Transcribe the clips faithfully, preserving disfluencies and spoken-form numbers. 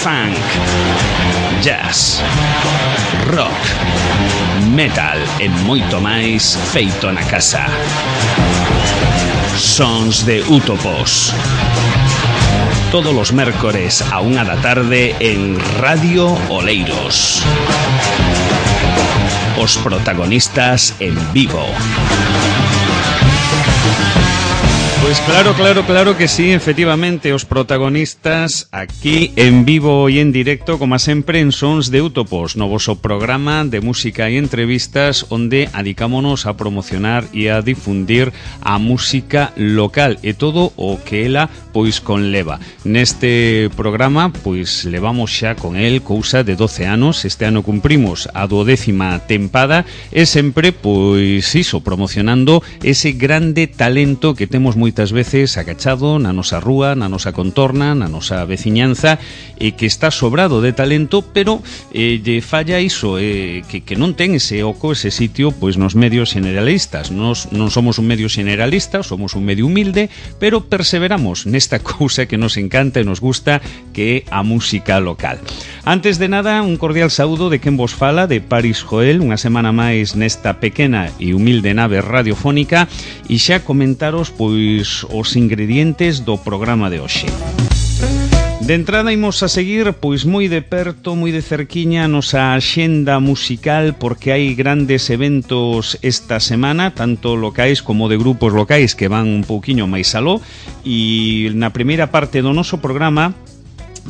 funk, jazz, rock, metal e moito máis feito na casa. Sons de Útopos. Todos os mércores a unha da tarde en Radio Oleiros. Os protagonistas en vivo. Pois claro, claro, claro que sí, efectivamente, os protagonistas aquí en vivo e en directo, como sempre, en Sons de Útopos, no voso programa de música e entrevistas onde adicámonos a promocionar e a difundir a música local e todo o que ela pois conleva. Neste programa, pois levamos xa con el cousa de doce anos, este ano cumprimos a duodécima tempada e sempre, pois iso, promocionando ese grande talento que temos moi moitas veces agachado na nosa rúa, na nosa contorna, na nosa veciñanza e que está sobrado de talento, pero eh, lle falla iso, eh, que, que non ten ese oco, ese sitio, pois nos medios generalistas. Nos non somos un medio generalista, somos un medio humilde, pero perseveramos nesta cousa que nos encanta e nos gusta, que é a música local. Antes de nada, un cordial saúdo de quen vos fala, de Paris Joel, unha semana máis nesta pequena e humilde nave radiofónica, e xa comentaros, pois, os ingredientes do programa de hoxe. De entrada imos a seguir pois moi de perto, moi de cerquiña a nosa axenda musical, porque hai grandes eventos esta semana, tanto locais como de grupos locais que van un pouquiño máis aló, e na primeira parte do noso programa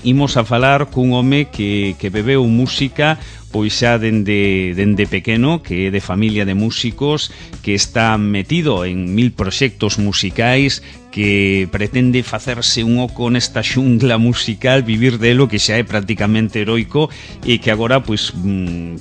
imos a falar cun home que, que bebeu música pois xa dende, dende pequeno, que é de familia de músicos, que está metido en mil proxectos musicais, que pretende facerse un oco nesta xungla musical, vivir delo, que xa é prácticamente heroico, e que agora pois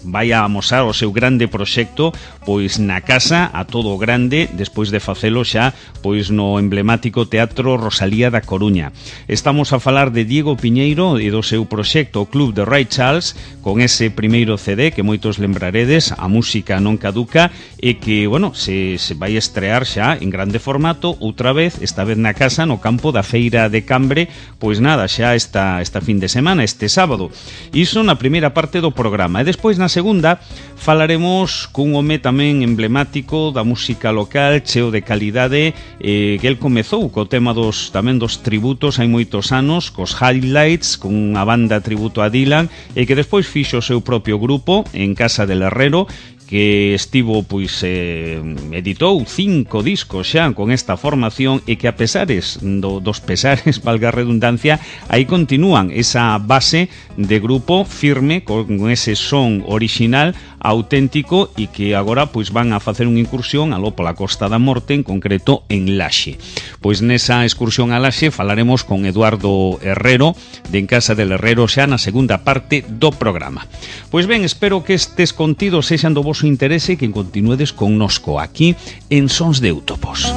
vai a amosar o seu grande proxecto pois na casa a todo grande, despois de facelo xa pois no emblemático Teatro Rosalía da Coruña. Estamos a falar de Diego Piñeiro e do seu proxecto o Club de Ray Charles, con ese primeiro C D que moitos lembraredes, A Música Non Caduca, e que, bueno, se, se vai estrear xa en grande formato outra vez, esta vez na casa, no campo da Feira de Cambre, pois nada, xa esta, esta fin de semana, este sábado. Iso na primeira parte do programa. E despois na segunda falaremos cun home tamén emblemático da música local, cheo de calidade, eh, que el comezou co tema dos tamén dos tributos hai moitos anos, cos Highlights, con unha banda tributo a Dylan, e que despois fixo o seu propio grupo en Casa del Herrero, que estivo, pois, eh, editou cinco discos xa con esta formación, e que a pesares do, dos pesares, valga a redundancia, aí continúan esa base de grupo firme, con ese son original, auténtico, e que agora pois van a facer unha incursión aló pola Costa da Morte, en concreto en Laxe. Pois nesa excursión a Laxe falaremos con Eduardo Herrero, de En Casa del Herrero, xa na segunda parte do programa. Pois ben, espero que estes contidos sexan do voso interese e que continuedes connosco aquí en Sons de Útopos.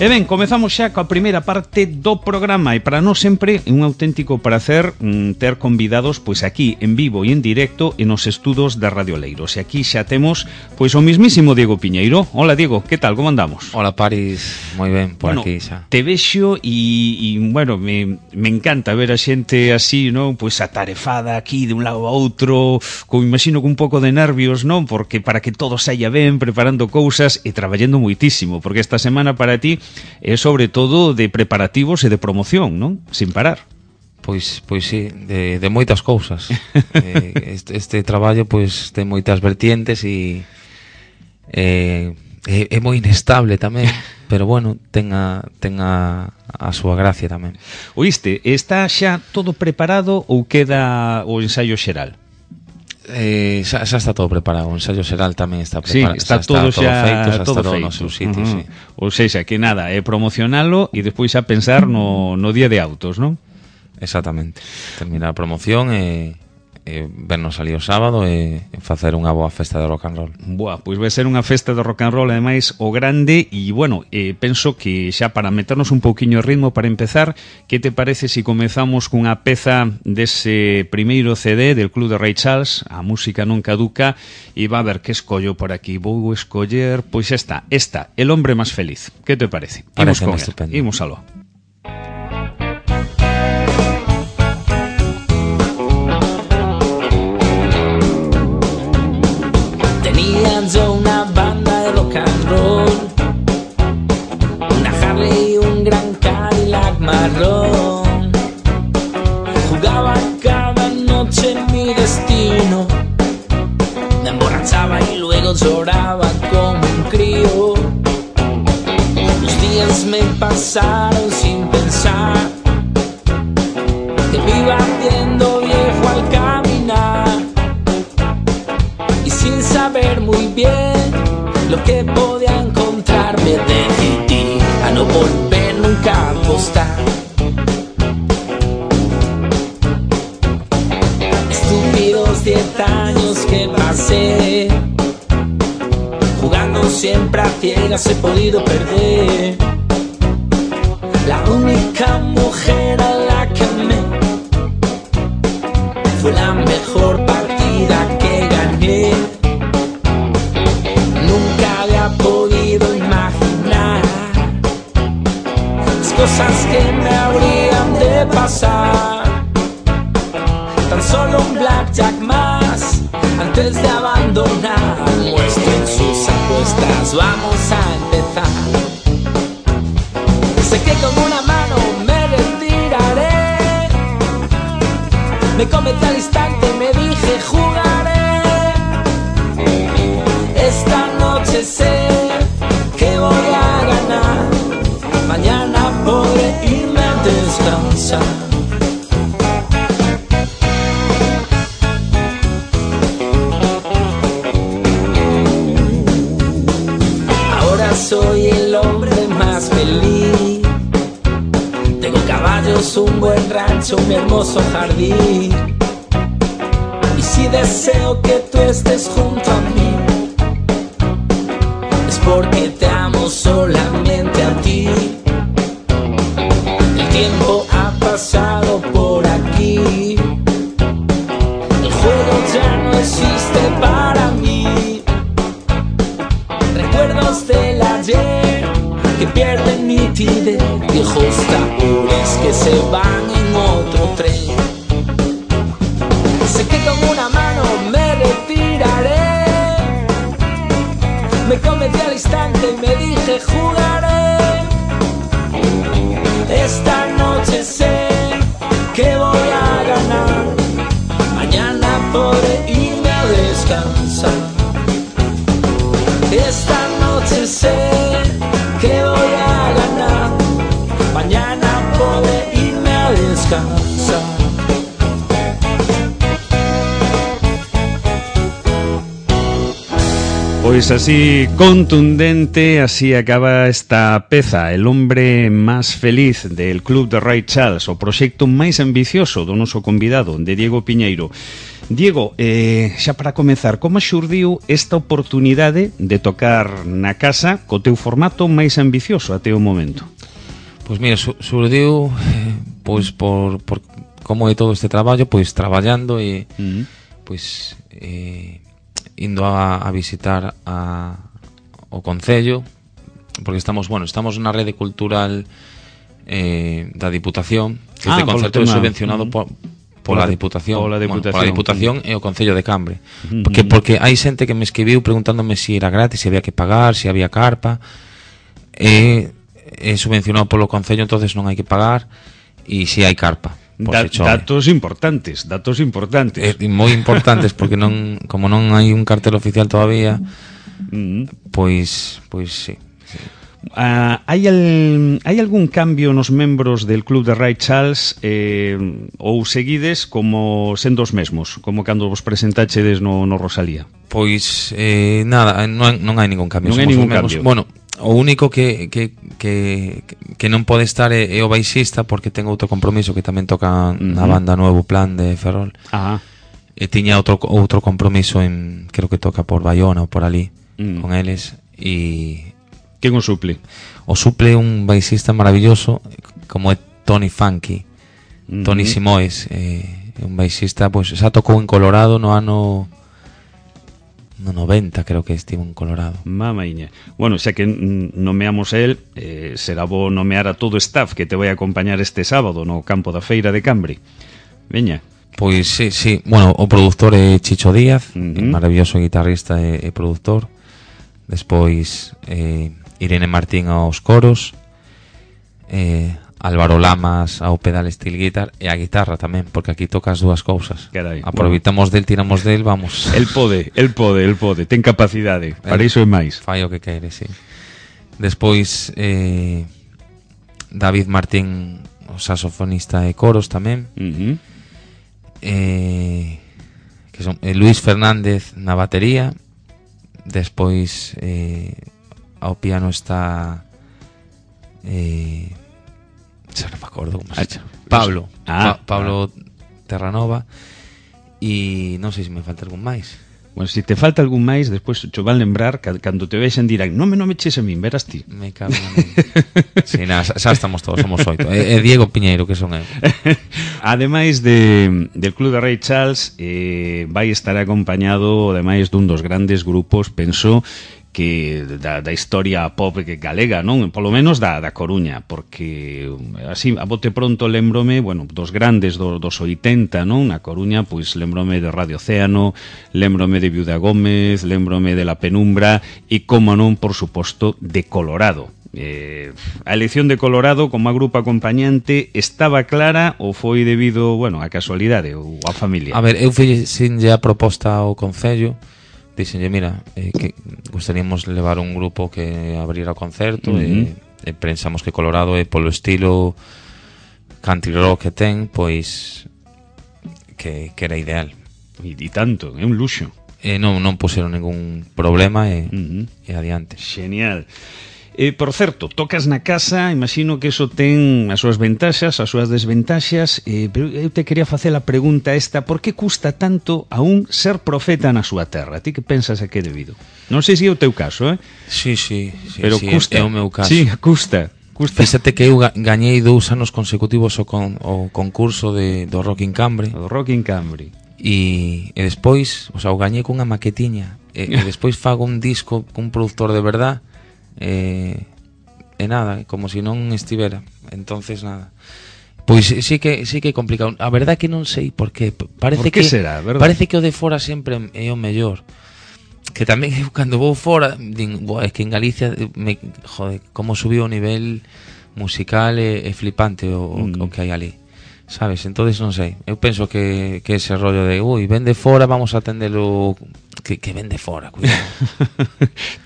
E ben, comezamos xa coa primeira parte do programa, e para nós sempre é un auténtico prazer mm, ter convidados pois aquí en vivo e en directo en os estudos da Radio Oleiros. E aquí xa temos pois o mismísimo Diego Piñeiro. Hola Diego, que tal, como andamos? Hola Paris, moi ben, por bueno, aquí xa. Te vexo e, e bueno, me, me encanta ver a xente así, non? Pois atarefada aquí de un lado a outro, como imagino con un pouco de nervios, non? Porque para que todo saia ben, preparando cousas e traballando moitísimo, porque esta semana para ti é sobre todo de preparativos e de promoción, non? Sin parar. Pois, pois sí, de, de moitas cousas. eh, este, este traballo pois ten moitas vertientes e eh, é, é moi inestable tamén, pero bueno, ten a, ten a, a súa gracia tamén. Oíste, está xa todo preparado ou queda o ensaio xeral? Eh, xa, xa está todo preparado, o ensaio xeral tamén está preparado, sí, está, está todo, todo xa, feito, xa todo está todo feito. no seu sitio, uh-huh. sí. Ou seja, que nada, é promocionalo e despois xa pensar no, no día de autos, non? Exactamente, terminar a promoción e, e vernos ali o sábado e, e facer unha boa festa de rock and roll. Boa, pois vai ser unha festa de rock and roll, ademais o grande, e bueno, eh, penso que xa para meternos un pouquiño de ritmo para empezar, que te parece se si comezamos cunha peza dese primeiro C D del Club de Ray Charles, A Música Non Caduca, e va a ver que escollo por aquí. Vou escoller, pois xa está, esta, El Hombre Más Feliz. Que te parece? Parece estupendo. Imos aló. Harley y un gran Cadillac marrón. Jugaba cada noche en mi destino. Me emborrachaba y luego lloraba como un crío. Los días me pasaron sin pensar que me iba viendo viejo al caminar. Y sin saber muy bien lo que podía encontrar, me decidí a no volver nunca a apostar. Estúpidos diez años que pasé jugando siempre a ciegas, he podido perder. La única mujer a la que amé fue la mejor partida que gané. Nunca había podido imaginar las cosas que me habrían de pasar. Tan solo un blackjack más antes de abandonar. Muestren sus apuestas, vamos a empezar. Sé que con una mano me retiraré. Me comenté al instante y me dije jugaré. Esta noche sé que voy a ganar. Mañana podré irme a descansar. Soy el hombre más feliz. Tengo caballos, un buen rancho, un hermoso jardín. Y si deseo que tú estés junto a mí, es porque te amo solamente a ti. El tiempo ha pasado por aquí. El juego ya no existe para mí. Recuerdos del ayer que pierden nitidez, viejos tapones que se van en otro tren. Sé que con una mano me retiraré. Me cometí al instante y me dije jugaré. Esta noche sé que voy a ganar. Mañana podré irme a descansar. Esta noche sé que voy a ganar. Mañana podré irme a descansar. Pois así contundente, así acaba esta peza, El hombre más feliz del Club de Ray Charles, o proxecto máis ambicioso do noso convidado, de Diego Piñeiro. Diego, eh, xa para comezar, como xurdiu esta oportunidade de tocar na casa co teu formato máis ambicioso até o momento? Pois mira, xurdiu eh, pois por, por como é todo este traballo, pois traballando e uh-huh. pois eh, indo a, a visitar a, o Concello, porque estamos, bueno, estamos na rede cultural eh, da Diputación, que ah, este concerto é subvencionado uh-huh. por pola Diputación, pola Diputación, bueno, pola Diputación e o Concello de Cambre. Uh-huh. Porque porque hai xente que me escribiu preguntándome se si era gratis, se si había que pagar, se si había carpa. É, é subvencionado polo Concello, entonces non hai que pagar, e se si hai carpa. Da, datos importantes, datos importantes. É, moi importantes porque non, como non hai un cartel oficial todavía, uh-huh. pois pois sí. sí. Uh, hai, al, hai algún cambio nos membros del Club de Ray Charles eh, ou seguides como sendo os mesmos, como cando vos presentachedes no, no Rosalía? Pois eh, nada, non, non hai ningún cambio. Non hai ningún cambio. Bueno, o único que, que, que, que non pode estar é, é o baixista, porque ten outro compromiso que tamén toca uh-huh. na banda Nuevo Plan de Ferrol. Ajá. E tiña outro, outro compromiso en, creo que toca por Bayona ou por ali, uh-huh. con eles, e quen o suple? O suple un baixista maravilloso como é Tony Funky, uh-huh. Tony Simoes, eh, un baixista, pois, xa tocou en Colorado no ano no noventa, creo que estivo en Colorado. Mamaiña. Bueno, xa que nomeamos a él, eh, será bo nomear a todo o staff que te vai a acompañar este sábado no campo da Feira de Cambre. Veña. Pois sí, sí. Bueno, o produtor é Chicho Díaz, uh-huh. maravilloso guitarrista e, e produtor. Despois eh, Irene Martín aos coros, eh, Álvaro Lamas ao pedal steel guitar e a guitarra tamén, porque aquí toca as dúas cousas. Carai, aproveitamos bueno. del, tiramos del, vamos. El pode, el pode, el pode, ten capacidade, para iso é máis. Fai o que quere, sí. Despois eh, David Martín, o saxofonista e coros tamén. Uh-huh. Eh, que son eh, Luis Fernández na batería. Despois eh, ao piano está eh, xa non me acordo como se chama, Pablo ah, pa- Pablo ah. Terranova. E non sei se me falta algún máis. Bueno, se te falta algún máis, despois cho van lembrar que cando te vexen dirán, non me non me eches a min, verás ti. Me cago na min. Sí, nada, xa, xa estamos todos, somos oito. E, e Diego Piñeiro, que son eu. Ademais de, del Club de Ray Charles, eh, vai estar acompañado, ademais dun dos grandes grupos, penso, que da, da historia pop que galega, non? Polo menos da, da Coruña, porque así, a bote pronto lembrome, bueno, dos grandes do, dos oitenta, non? Na Coruña, pois lembrome de Radio Océano, lembrome de Viuda Gómez, lembrome de La Penumbra e, como non, por suposto, de Colorado. Eh, a elección de Colorado como a grupo acompañante estaba clara ou foi debido, bueno, a casualidade ou a familia? A ver, eu fixenlle a proposta ao Concello. Dixenlle, mira, eh, que gostaríamos levar un grupo que abrira o concerto. Uh-huh. e, e pensamos que Colorado é polo estilo country rock que ten, pois que, que era ideal. E, e tanto, é un luxo. E non, non puseron ningún problema e, uh-huh. e adiante. Genial. Eh, por certo, tocas na casa, imagino que eso ten as súas ventaxas, as súas desventaxas, eh, pero eu te quería facer a pregunta esta, por que custa tanto a un ser profeta na súa terra? Ti que pensas a que é debido? Non sei se é o teu caso, eh? Sí, sí, sí, pero sí, custa. É o meu caso. Sí, custa. custa. Fíxate que eu gañei dous anos consecutivos o, con, o concurso de, do Rock in Cambre. O Rock in Cambre. E, e despois, o sea, o gañei cunha maquetiña. E, e despois fago un disco cun productor de verdad. E, e nada, como se si non estivera. Entonces nada. Pois sí que sí que é complicado. A verdade que non sei por qué. Parece por que que será, verdad? Parece que o de fora sempre é o mellor. Que tamén eu cando vou fora din, boa, é que en Galicia me, joder, como subiu o nivel musical é, é flipante o, mm. o, o que hai ali. Sabes? Entonces non sei. Eu penso que, que ese rollo de ui, ven de fora, vamos a atendelo que, que ven de fora, cuidado.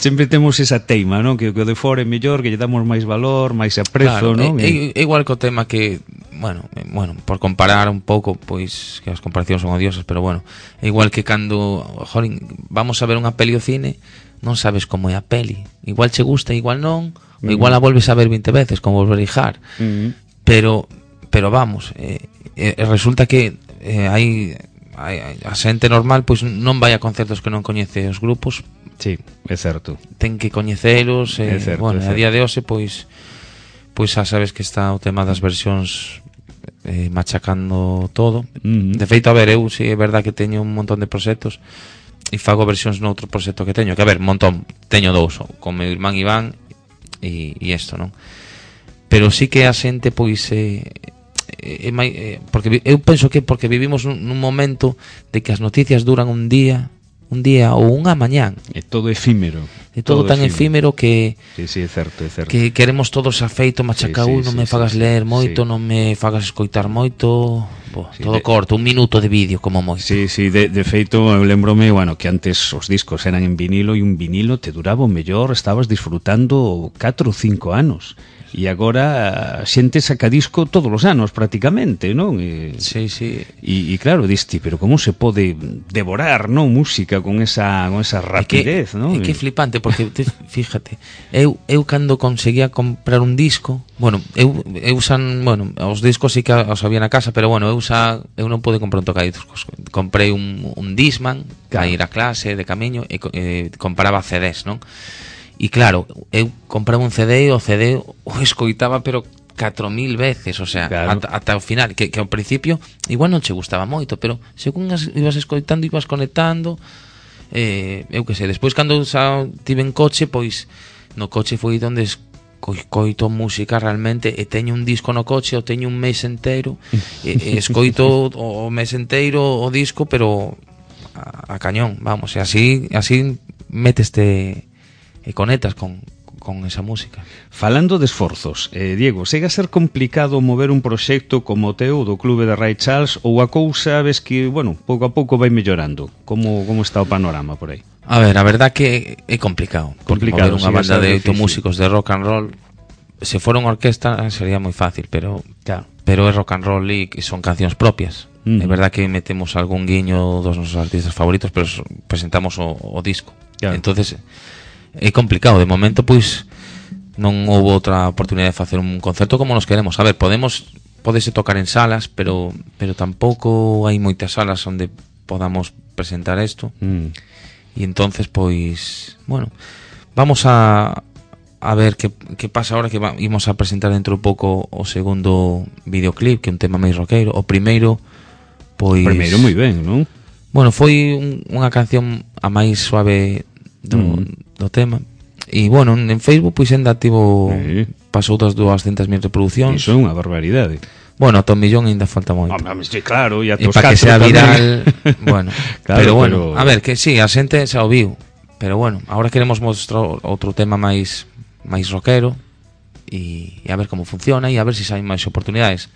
Sempre temos esa teima, non? Que o de fora é mellor, que lle damos máis valor, máis aprezo, claro, non? É, é igual co tema que, bueno, bueno, por comparar un pouco, pois que as comparacións son odiosas, pero bueno, é igual que cando, jorin, vamos a ver unha peli ao cine, non sabes como é a peli. Igual che gusta, igual non, mm. ou igual a volves a ver vinte veces, como volver a hijar. Mm. Pero pero vamos, eh, eh, resulta que eh, hai, hai a xente normal pois non vai a concertos que non coñece os grupos. Sí, é certo. Ten que coñecelos, eh, certo, bueno, a día de hoxe pois pois xa sabes que está o tema das versións eh, machacando todo. Mm-hmm. De feito, a ver, eu si é verdad que teño un montón de proxectos e fago versións noutro proxecto que teño, que a ver, un montón, teño dous, con meu irmán Iván e, e isto, non? Pero sí que a xente pois eh, É, é, é, porque eu penso que porque vivimos nun, nun momento de que as noticias duran un día, un día ou unha mañán. É todo efímero. É todo, todo tan efímero, efímero que sí, sí, é certo, é certo. Que queremos todos afeito, machaca, sí, sí, non sí, me fagas sí, leer moito, sí. non me fagas escoitar moito, bo, sí, todo de... corto, un minuto de vídeo como moito. Sí, sí, de, de feito eu lembrome, bueno, que antes os discos eran en vinilo e un vinilo te duraba o mellor, estabas disfrutando catro ou cinco anos. E agora a xente saca disco todos os anos prácticamente, non? E, sí, sí. E, e claro, diste, pero como se pode devorar, non, música con esa con esa rapidez, é que, non? É que é flipante porque te, fíjate, eu eu cando conseguía comprar un disco, bueno, eu eu usan, bueno, os discos sí que os había na casa, pero bueno, eu usa eu non pude comprar un tocadiscos. Comprei un un Discman para ir a clase de camiño e eh, compraba C Ds, non? E claro, eu compraba un C D e o C D o escoitaba pero catro mil veces, o sea, claro. ata, ata o final, que, que ao principio igual non che gustaba moito, pero según as, ibas escoitando, ibas conectando, eh, eu que sei, despois cando xa tive en coche, pois no coche foi onde escoito música realmente, e teño un disco no coche, o teño un mes inteiro, e, e escoito o, o mes inteiro o disco, pero a, a cañón, vamos, e así, así meteste e conectas con, con esa música. Falando de esforzos, eh, Diego, chega a ser complicado mover un proxecto como o teu do Clube de Ray Charles ou a cousa ves que, bueno, pouco a pouco vai mellorando? Como, como está o panorama por aí? A ver, a verdad que é complicado, porque Complicado, mover unha sí, banda é de difícil. oito músicos de rock and roll, se fora unha orquesta sería moi fácil, pero Claro. pero é rock and roll e son cancións propias. Uh-huh. É verdad que metemos algún guiño dos nosos artistas favoritos, pero so- presentamos o, o disco. Claro. Entonces é complicado, de momento pois non houve outra oportunidade de facer un concerto como nos queremos. A ver, podemos podese tocar en salas, pero pero tampouco hai moitas salas onde podamos presentar isto. Mm. E entonces pois, bueno, vamos a a ver que, que pasa ahora que va, imos a presentar dentro un pouco o segundo videoclip, que é un tema máis roqueiro. O primeiro, pois... Primeiro moi ben, non? Bueno, foi un, unha canción a máis suave do, Mm. do tema. E, bueno, en Facebook, pois, ainda tivo... Sí. Pasou das duascentas mil reproduccións. Iso é unha barbaridade. Bueno, a Tom Millón ainda falta moito. Home, sí, claro, e a E tos para que catro sea tamén. viral, bueno, Claro, pero bueno, pero- a ver, que sí, a xente xa o viu, pero bueno, ahora queremos mostrar outro tema máis máis rockero e, e a ver como funciona e a ver se si hai máis oportunidades.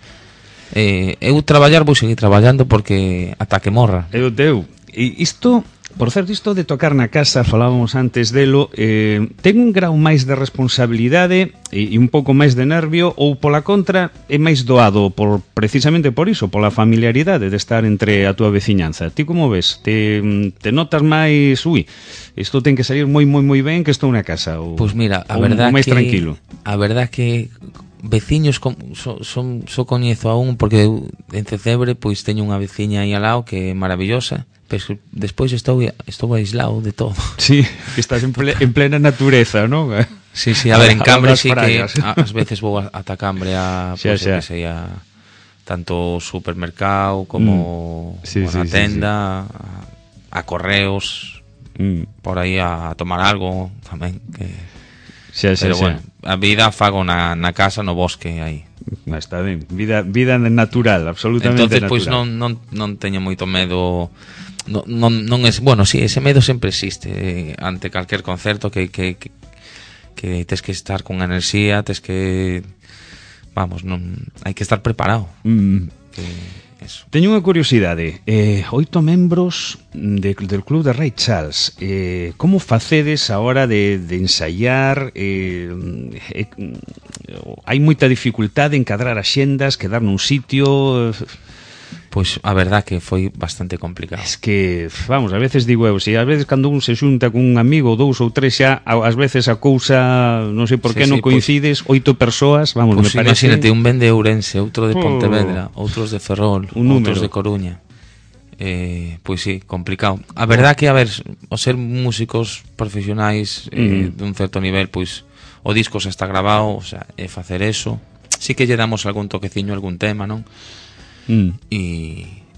Eh, eu traballar vou seguir traballando porque ata que morra. É o teu. E isto, por certo, isto de tocar na casa, falábamos antes delo, eh, ten un grau máis de responsabilidade e, e un pouco máis de nervio, ou pola contra é máis doado por precisamente por iso, pola familiaridade de estar entre a túa veciñanza. Ti como ves? Te, te notas máis, ui, isto ten que salir moi moi moi ben que estou na casa, ou, Pois mira, a ou verdad máis que tranquilo. a verdad que veciños com, so, son, so coñezo a un porque eu en Cecebre pois teño unha veciña aí ao lado que é maravillosa, pero despois estou estou aislado de todo. Sí, que estás en, ple, en plena natureza, non? Sí, sí, a ver, en A- a Cambre das sí que praias. a- ás veces vou a- ata Cambre a Xa, pois, xa. que sei, a tanto supermercado como Mm. Sí, a sí, sí, tenda, a, a correos, Mm. por aí a tomar algo tamén que Xa, xa, pero xa. bueno, a vida fago na, na casa, no bosque aí. Ah, está ben, vida, vida natural, absolutamente Entonces, natural. pois non, non, non teño moito medo. Non, non, non es, bueno, sí, ese medo sempre existe eh, ante calquer concerto que, que, que, que tes que estar con enerxía, tes que vamos, non hai que estar preparado. Mm. Que eso. Teño unha curiosidade, eh, oito membros de, del Club de Ray Charles, eh, como facedes a hora de, de ensaiar? Eh, eh, hai moita dificultade en cadrar axendas, quedar nun sitio? Pois a verdad que foi bastante complicado. Es que, vamos, a veces digo eu, se a veces cando un se xunta con un amigo, dous ou tres xa, a- ás veces a cousa, non sei por Sí, que non sí, pois- coincides, oito persoas, vamos, Pois me parece... imagínate, un ven de Ourense, outro de Oh. Pontevedra, outros de Ferrol, Un outros número. de Coruña. Eh, pois sí, complicado. A verdad que, a ver, o ser músicos profesionais eh, Mm. dun certo nivel, pois o disco xa está grabado, o sea, é facer eso. Sí que lle damos algún toqueciño, algún tema, non? Mm. E,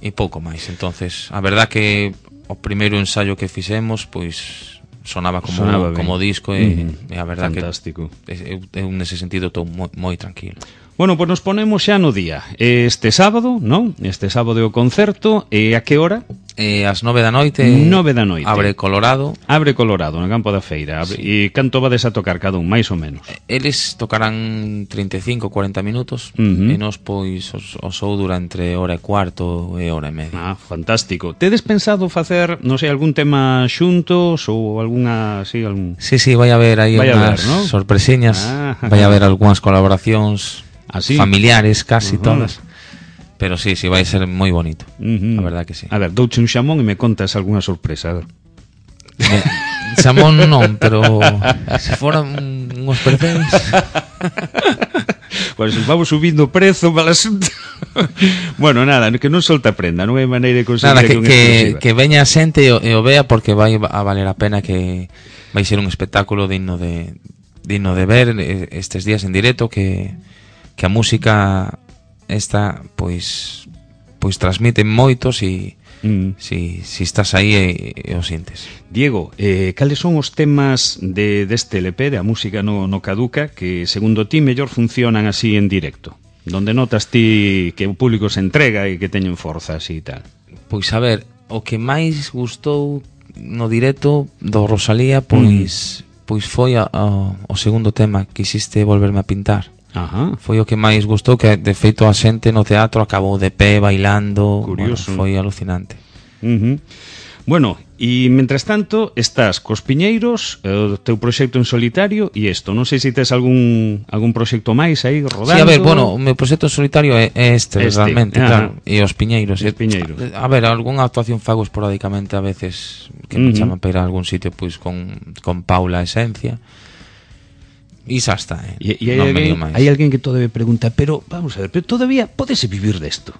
e pouco máis. Entonces, a verdad que o primeiro ensaio que fixemos, pois sonaba como Sonaba ben. como disco e, Mm. e a verdad Fantástico. que eu, eu nese sentido estou moi, moi tranquilo. Bueno, pois nos ponemos xa no día. Este sábado, non? Este sábado é o concerto, e a que hora? E ás nove da noite Nove da noite. abre Colorado. Abre Colorado, no campo da feira. Abre, Sí. E canto vades a tocar cada un, máis ou menos? Eles tocarán treinta e cinco, cuarenta minutos. Ujú. E nos pois os, o show dura entre hora e cuarto e hora e media. Ah, fantástico. Tedes pensado facer, non sei, algún tema xuntos ou algunha, sí, algún... Sí, sí, vai haber aí Vai unhas haber, ¿no? sorpresiñas. Ah. Vai haber algunhas colaboracións Ah, sí? familiares, casi Ujú. todas. Pero sí, sí, vai ser moi bonito. Uh-huh. A verdad que sí. A ver, douche un xamón e me contas algunha sorpresa. A ver. Me- Xamón non, pero se foran unhos percebes. Pois pues, vamos subindo o prezo para asunto. Bueno, nada, que non solta prenda, non hai maneira de conseguir Nada, que, unha que, exclusiva. que veña a xente e o, e o vea porque vai a valer a pena, que vai ser un espectáculo digno de digno de ver eh, estes días en directo, que, que a música esta pois pois transmite moitos e Mm. si, si estás aí e, e o sintes. Diego, eh, cales son os temas de deste L P, de a música no, no caduca, que segundo ti mellor funcionan así en directo? Donde notas ti que o público se entrega e que teñen forza así e tal. Pois a ver, o que máis gustou no directo do Rosalía, pois, mm. pois foi a, a, o segundo tema, Quisiste volverme a pintar. Ajá. Foi o que máis gustou, que de feito a xente no teatro acabou de pé, bailando. Curioso. Bueno, foi alucinante. Uh-huh. Bueno, e mentres tanto estás cos Piñeiros, o teu proxecto en solitario e isto, non sei se tes algún algún proxecto máis aí rodando. Sí, a ver, bueno, o meu proxecto en solitario é este, este realmente, ajá. claro, e os Piñeiros. Os Piñeiros. A ver, algunha actuación fago esporádicamente a veces que me Uh-huh. chaman para ir a algún sitio pois con, con Paula Esencia. E xa está, eh. E, e hai, non me alguén, lío máis. hai alguén que todavía pregunta, pero vamos a ver, pero todavía podese vivir desto?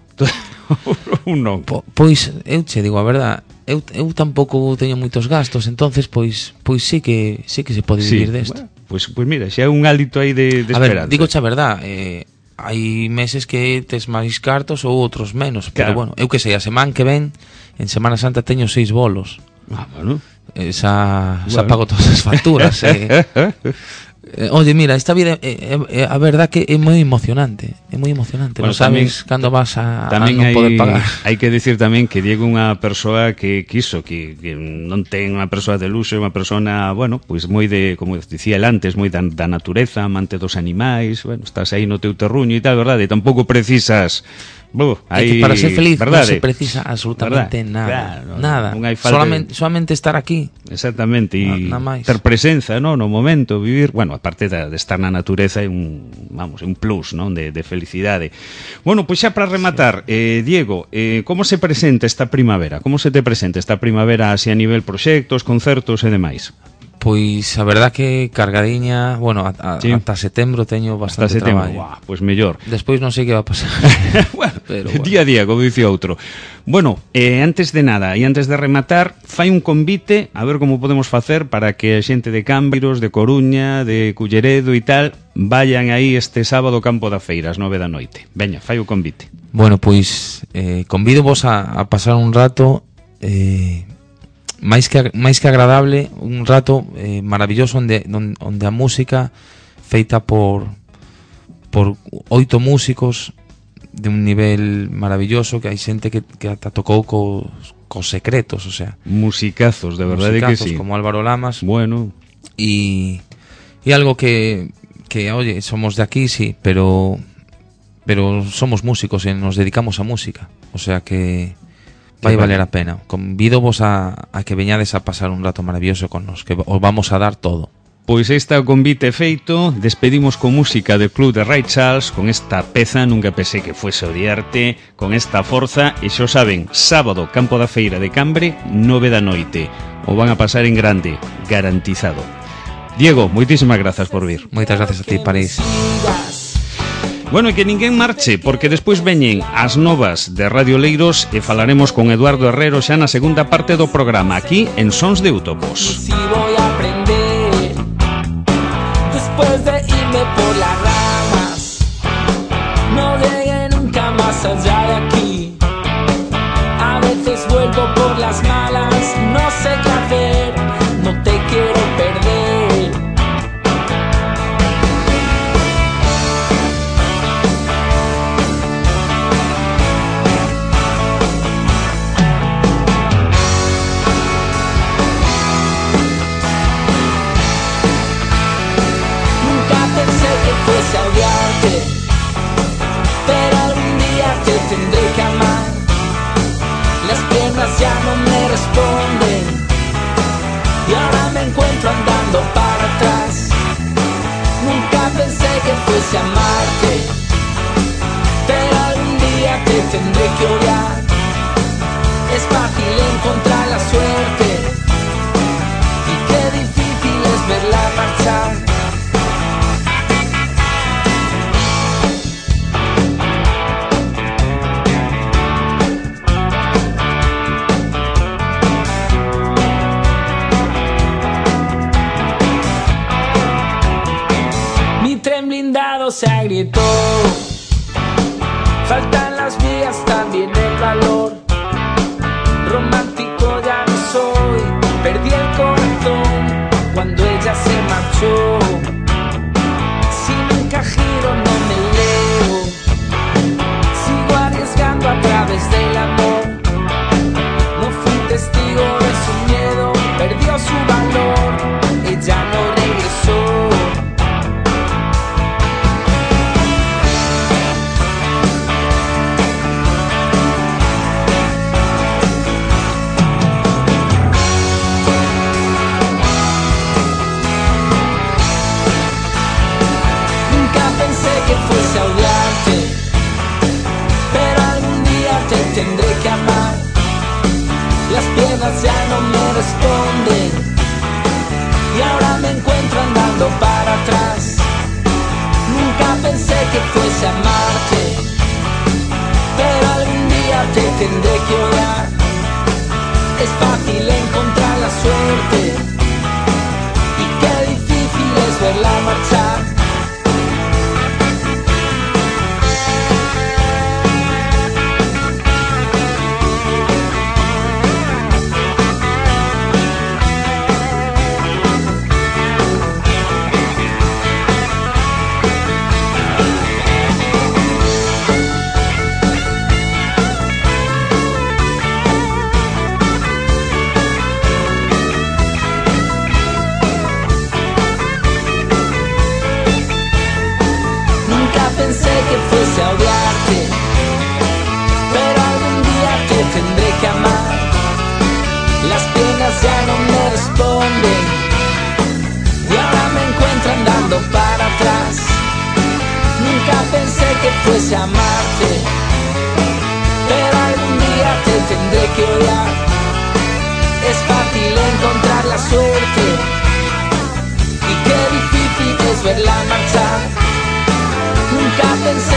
Ou non? Po, pois eu che digo a verdad, eu, eu tampouco teño moitos gastos, entonces pois pois sí que sí que se pode vivir sí, desto. Bueno, pois pues, pues mira, xa é un hálito aí de, de a ver, esperanza. digo a verdad, eh, hai meses que tes máis cartos ou outros menos, pero claro. bueno, eu que sei, a semana que ven en Semana Santa teño seis bolos. Ah, bueno. Esa, bueno. xa pago todas as facturas. eh. Eh, oye, mira, esta vida eh, eh, a verdad que é moi emocionante, é moi emocionante, bueno, non sabes cando vas a, a tamén non hai, poder pagar. hai que decir tamén que Diego é unha persoa que quiso, que, que non ten unha persoa de luxo, é unha persona, bueno, pois moi de, como dicía el antes, moi da, da natureza, amante dos animais, bueno, estás aí no teu terruño e tal, verdade? E tampouco precisas Uh, é que para ser feliz verdade? non se precisa absolutamente verdade? nada, Claro, nada. Non hai falta solamente, de... solamente estar aquí. Exactamente, e Na, ter presenza, no, no momento, vivir, bueno, aparte de, de estar na natureza é un, vamos, un plus, non, de, de felicidade. Bueno, pois xa para rematar, sí. eh, Diego, eh, como se presenta esta primavera? Como se te presenta esta primavera así a nivel proxectos, concertos e demais? Pois a verdad que cargadiña, bueno, a, a, sí. ata setembro teño bastante hasta setembro, traballo. Buah, pois mellor. Despois non sei que va a pasar. Bueno, pero bueno. Día a día, como dice outro. Bueno, eh, antes de nada e antes de rematar, fai un convite a ver como podemos facer para que a xente de Cambiros, de Coruña, de Culleredo e tal vayan aí este sábado ao Campo da Feira ás nove da noite. Veña, fai o convite. Bueno, pois eh, convido vos a, a pasar un rato eh, máis que máis que agradable, un rato eh, maravilloso onde, onde onde a música feita por por oito músicos de un nivel maravilloso, que hai xente que, que ata tocou cos, cos secretos, o sea, musicazos, de verdade que sí. Como Álvaro Lamas. Bueno, y y algo que que oye, somos de aquí, sí, pero pero somos músicos e nos dedicamos a música, o sea que vai valer a pena. Convido vos a, a que veñades a pasar un rato maravilloso con nos, que os vamos a dar todo. Pois este o convite feito. Despedimos con música do Club de Ray Charles, con esta peza Nunca pensé que fuese odiarte, con esta forza, e xo saben, sábado, Campo da Feira de Cambre, nove da noite. O van a pasar en grande, garantizado. Diego, moitísimas grazas por vir. Moitas gracias a ti, París. Bueno, e que ninguén marche, porque despois veñen as novas de Radio Leiros e falaremos con Eduardo Herrero xa na segunda parte do programa, aquí en Sons de Utopos. Si voy a aprender después de irme por las ramas, no llegué nunca más allá de aquí. A veces vuelvo por las malas, no sé qué hacer, no te quiero perder. Fuese a odiarte, pero algún día te tendré que amar. Las piernas ya no me responden y ahora me encuentro andando para atrás. Nunca pensé que fuese a amarte, pero algún día te tendré que odiar. Es fácil encontrar la suerte y qué difícil es verla marchar. Se agrietó, faltan las vías, también el valor. Romántico ya no soy, perdí el corazón cuando ella se marchó. Si nunca giro no me leo, sigo arriesgando a través del amor. No fui testigo de su miedo, perdió su valor, ella no regresa. fuese amarte, pero algún día te tendré que odiar. Es fácil encontrar la suerte y qué difícil es verla marchar. Pensé que fuese a odiarte, pero algún día te tendré que amar. Las piernas ya no me responden y ahora me encuentro andando para atrás. Nunca pensé que fuese a amarte, pero algún día te tendré que odiar. Es fácil encontrar la suerte y qué difícil es verla marchar. Nunca pensé